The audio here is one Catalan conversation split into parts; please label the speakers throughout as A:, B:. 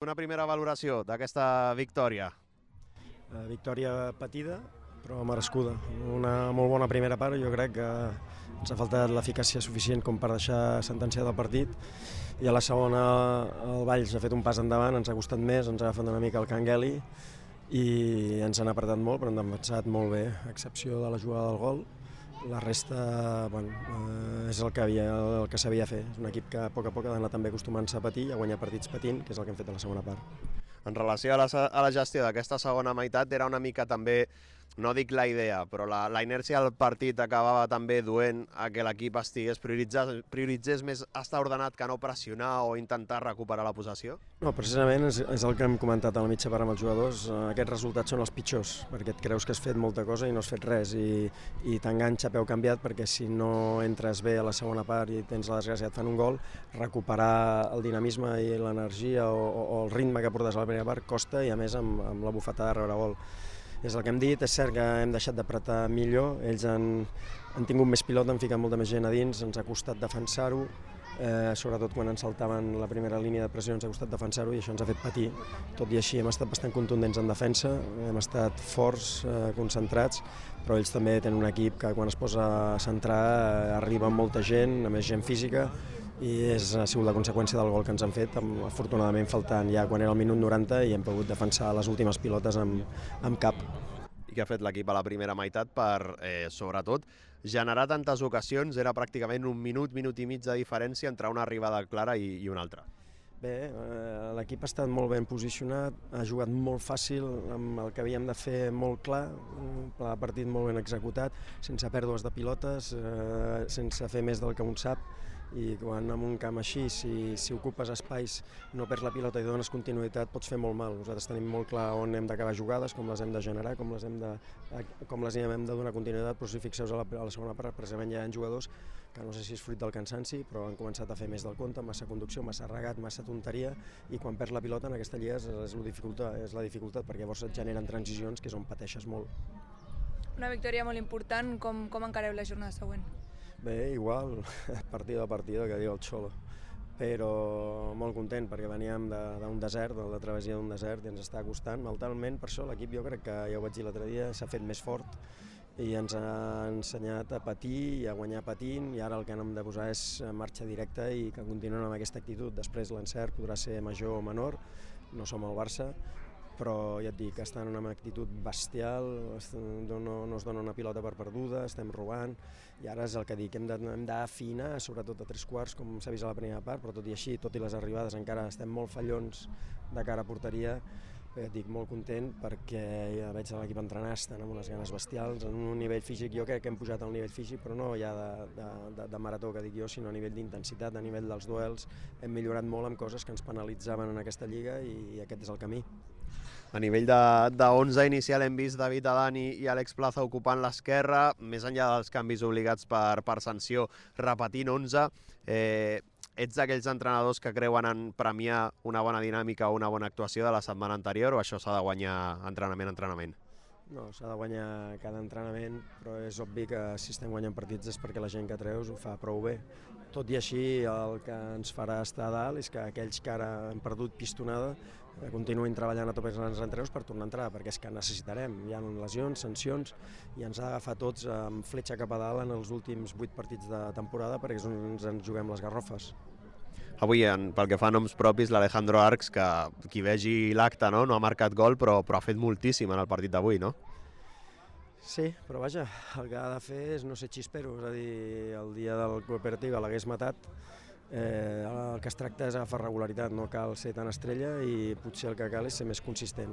A: Una primera valoració d'aquesta victòria.
B: Victòria patida, però merescuda. Una molt bona primera part, jo crec que ens ha faltat l'eficàcia suficient com per deixar sentenciat el partit, i a la segona el Valls ha fet un pas endavant, ens ha costat més, ens ha agafat una mica el Cangueli i ens han apretat molt, però ens han defensat molt bé, a excepció de la jugada del gol. La resta és el que sabia fer. És un equip que a poc ha d'anar també acostumant-se a patir i a guanyar partits patint, que és el que hem fet a la segona part.
A: En relació a la gestió d'aquesta segona meitat, era una mica també, no dic la idea, però la inèrcia del partit acabava també duent a que l'equip prioritzés més estar ordenat que no pressionar o intentar recuperar la possessió?
B: No, precisament és el que hem comentat a la mitja part amb els jugadors. Aquests resultats són els pitjors, perquè et creus que has fet molta cosa i no has fet res, i t'enganxa a peu canviat, perquè si no entres bé a la segona part i tens la desgràcia et fan un gol, recuperar el dinamisme i l'energia o el ritme que portes a la primera part costa, i a més amb la bufetada de rebre gol. És el que hem dit, és cert que hem deixat d'apretar millor, ells han tingut més pilota, han ficat molta més gent a dins, ens ha costat defensar-ho, sobretot quan ens saltaven la primera línia de pressió ens ha costat defensar-ho i això ens ha fet patir. Tot i així hem estat bastant contundents en defensa, hem estat forts, concentrats, però ells també tenen un equip que quan es posa a centrar arriba amb molta gent, a més gent física, i ha sigut la conseqüència del gol que ens han fet, afortunadament faltant ja quan era el minut 90 i hem pogut defensar les últimes pilotes amb cap.
A: I què ha fet l'equip a la primera meitat per, sobretot, generar tantes ocasions? Era pràcticament un minut i mig de diferència entre una arribada clara i una altra.
B: Bé, l'equip ha estat molt ben posicionat, ha jugat molt fàcil, amb el que havíem de fer molt clar, un pla de partit molt ben executat, sense pèrdues de pilotes, sense fer més del que un sap, i quan en un camp així, si ocupes espais, no perds la pilota i dones continuïtat, pots fer molt mal. Nosaltres tenim molt clar on hem d'acabar jugades, com les hem de generar, com les hem de donar continuïtat, però si fixeu a la segona part, precisament hi ha jugadors que no sé si és fruit del cansanci, però han començat a fer més del compte, massa conducció, massa regat, massa tonteria, i quan perds la pilota en aquesta lliga és la dificultat, perquè llavors et generen transicions que és on pateixes molt.
C: Una victòria molt important, com encareu la jornada següent?
B: Bé, igual, partido a partido, que diu el Xolo, però molt content perquè veníem d'un desert, de la travessia d'un desert, i ens està costant mentalment. Per això l'equip, jo crec que, ja ho vaig dir l'altre dia, s'ha fet més fort i ens ha ensenyat a patir i a guanyar patint, i ara el que hem de posar és marxa directa i que continuen amb aquesta actitud. Després l'encert podrà ser major o menor, no som el Barça, però ja et dic que estan en una actitud bestial, no es dona una pilota per perduda, estem robant, i ara és el que dic, hem d'afinar, sobretot a tres quarts, com s'ha vist a la primera part, però tot i així, tot i les arribades, encara estem molt fallons de cara a porteria. Ja et dic, molt content perquè ja veig l'equip entrenar, estan amb unes ganes bestials, en un nivell físic, jo crec que hem pujat al nivell físic, però no ja de marató, que dic jo, sinó a nivell d'intensitat, a nivell dels duels. Hem millorat molt amb coses que ens penalitzaven en aquesta lliga i aquest és el camí.
A: A nivell de 11 inicial hem vist David Adani i Àlex Plaza ocupant l'esquerra, més enllà dels canvis obligats per sanció, repetint 11. Ets d'aquells entrenadors que creuen en premiar una bona dinàmica o una bona actuació de la setmana anterior, o això s'ha de guanyar entrenament a entrenament?
B: No, s'ha de guanyar cada entrenament, però és obvi que si estem guanyant partits és perquè la gent que treus ho fa prou bé. Tot i així, el que ens farà estar a dalt és que aquells que ara han perdut pistonada continuïn treballant a tope els entreus per tornar a entrar, perquè és que necessitarem. Hi ha lesions, sancions, i ens ha d'agafar tots amb fletxa cap a dalt en els últims 8 partits de temporada, perquè és on ens juguem les garrofes.
A: Avui, pel que fa a noms propis, l'Alejandro Arcs, que qui vegi l'acte no ha marcat gol, però ha fet moltíssim en el partit d'avui, no?
B: Sí, però vaja, el que ha de fer és no ser xispero, és a dir, el dia del cooperativa l'hagués matat. El que es tracta és agafar regularitat, no cal ser tan estrella i potser el que cal és ser més consistent.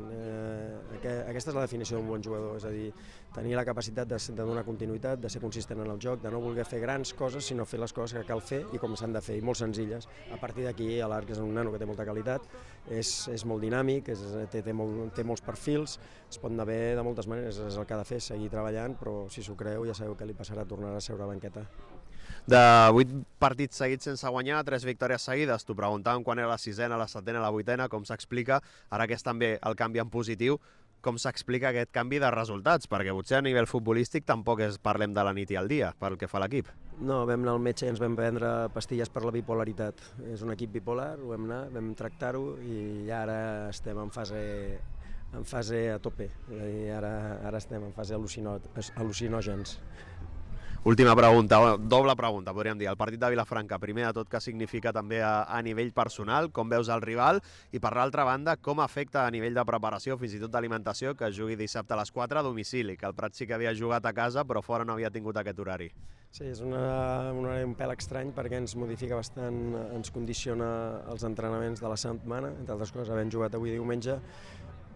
B: Aquesta és la definició d'un bon jugador, és a dir, tenir la capacitat de donar continuïtat, de ser consistent en el joc, de no voler fer grans coses, sinó fer les coses que cal fer i com s'han de fer, i molt senzilles. A partir d'aquí, l'Arc és un nano que té molta qualitat, és molt dinàmic, té molts perfils, es pot anar bé de moltes maneres, és el que ha de fer, seguir treballant, però si s'ho creu ja sabeu què li passarà, tornarà a seure a banqueta.
A: De 8 partits seguits sense guanyar, 3 victòries seguides. T'ho preguntàvem quan era la 6ena, la 7ena, la 8ena, com s'explica. Ara que és també el canvi en positiu, com s'explica aquest canvi de resultats, perquè potser a nivell futbolístic tampoc parlem de la nit i el dia, pel que fa a l'equip.
B: No, vam anar al metge i ens vam prendre pastilles per la bipolaritat. És un equip bipolar, ho vam anar, vam tractar-ho i ara estem en fase a tope. Ara estem en fase al·lucinògens.
A: Última pregunta, doble pregunta, podríem dir. El partit de Vilafranca, primer de tot, què significa també a nivell personal, com veus el rival, i per l'altra banda, com afecta a nivell de preparació, fins i tot d'alimentació, que jugui dissabte a les 4 a domicili, que el Prat sí que havia jugat a casa, però fora no havia tingut aquest horari.
B: Sí, és un horari un pèl estrany perquè ens modifica bastant, ens condiciona els entrenaments de la setmana, entre altres coses, havent jugat avui diumenge,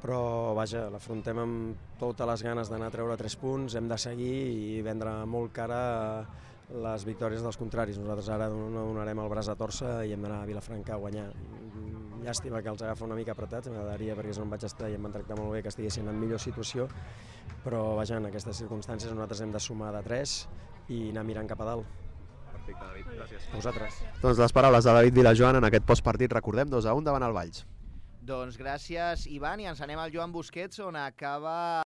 B: però vaja, l'afrontem amb totes les ganes d'anar a treure 3 punts, hem de seguir i vendre molt cara les victòries dels contraris. Nosaltres ara no donarem el braç a torça i hem d'anar a Vilafranca a guanyar. Llàstima que els agafa una mica apretats, m'agradaria perquè és on vaig estar i em van tractar molt bé que estiguessin en millor situació, però vaja, en aquestes circumstàncies nosaltres hem de sumar de 3 i anar mirant cap a dalt.
A: Perfecte, David, gràcies.
B: A vosaltres.
A: Doncs les paraules de David Vilajoan en aquest postpartit, recordem, 2-1 davant el Valls.
D: Doncs gràcies, Ivan, i ens anem al Joan Busquets, on acaba